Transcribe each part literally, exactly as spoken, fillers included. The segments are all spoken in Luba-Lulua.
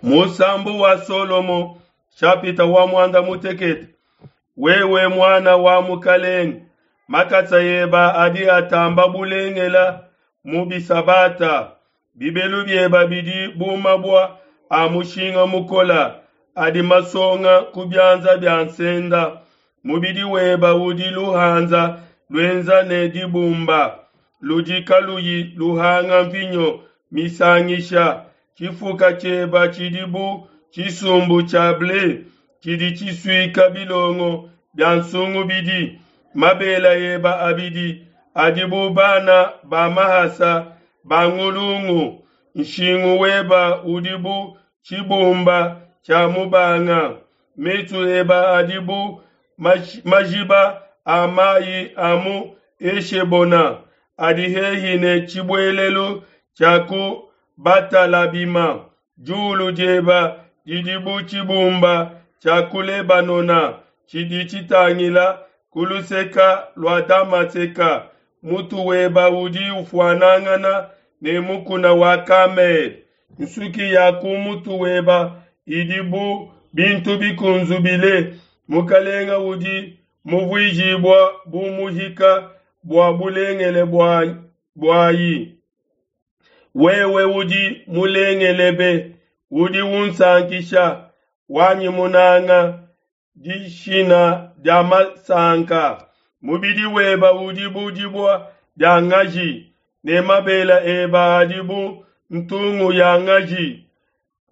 Musambu wa Solomo nshapita wa muanda mutekete. Wewe muana wa mukalenge, makasa eba adi atamba bulengela mu bisabata. Bibelu bieba bidi bu mabua a mushinga mukola adi masonga ku bianza bia nsenda. Mubidi weba udi luhanza luenza ne dibumba ludi kaluyi luhanga mvinyo misangisha. Tshifuka tshieba tshidi bu tshisumbu tshia ble tshidi tshisuika bilongo bia nsungubidi. Mabela eba abidi adi bu bana ba mahasa ba ngulungu. Nshingu weba udi bu tshibumba tshia mubanga. Mesu eba adi bu majiba a mayi a mu Eshebona adi hehi ne tshibuelelu tshia ku Batalabima. Diulu dieba didi bu tshibumba tshia ku Lebanona tshidi tshitangila ku luseka lua Damaseka. Mutu weba udi ufuanangana ne mukuna wa Kamele. Nsuki ya ku mutu weba idi bu bintu bikunzubile. Mukalenga udi muvuijibua bu muhika bua bulengele buayi. Wewe udi mulengelebe, udi unsankisha, wanyi munanga, dishina dia masanka. Mubidi weba udi bu dibua dia ngaji, ne mabela eba adi bu ntungu ya ngaji.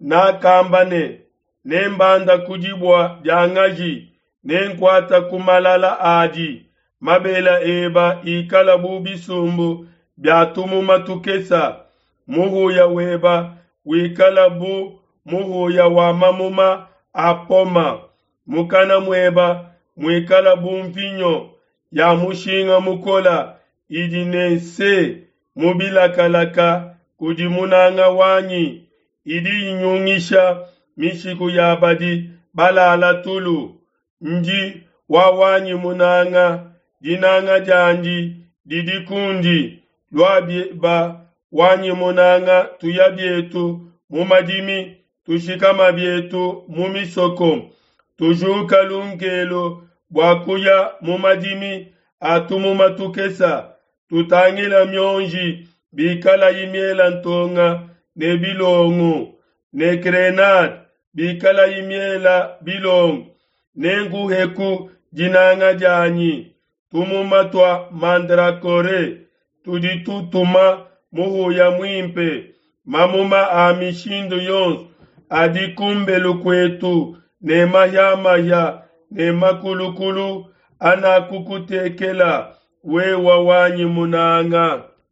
Nakamba ne, nembanda ku dibua dia ngaji, nenkuata ku malala adi. Mabela eba ikala bu bisumbu bia tumuma tukesa. Muhuya weba wikala bu muhuya wa mamuma a poma. Mukana mueba muikala bu mvinyo ya mushinga mukola idi ne nse mu bilakalaka kudi munanga wanyi. Idi inyungisha mishiku ya badi balala tulu. Ndi wa wanyi munanga, dinanga diandi didi kundi. Lua bieba wanyi munanga, tuya bietu mu madimi, tushikama bietu mu misoko. Tujuka lunkelo bua kuya mu madimi a tumuma tukesa. Tutangila mionji bikala imiela ntonga ne bilongo, ne grenade bikala imiela bilongo. Nenguheku dinanga dianyi tumuma tua mandrakore tudi tutuma muhuya muimpe. Mamuma a mishindu yonso adi kumbelu kuetu ne mahiamahia ne makulukulu anakukutekela wewa wanyi munanga.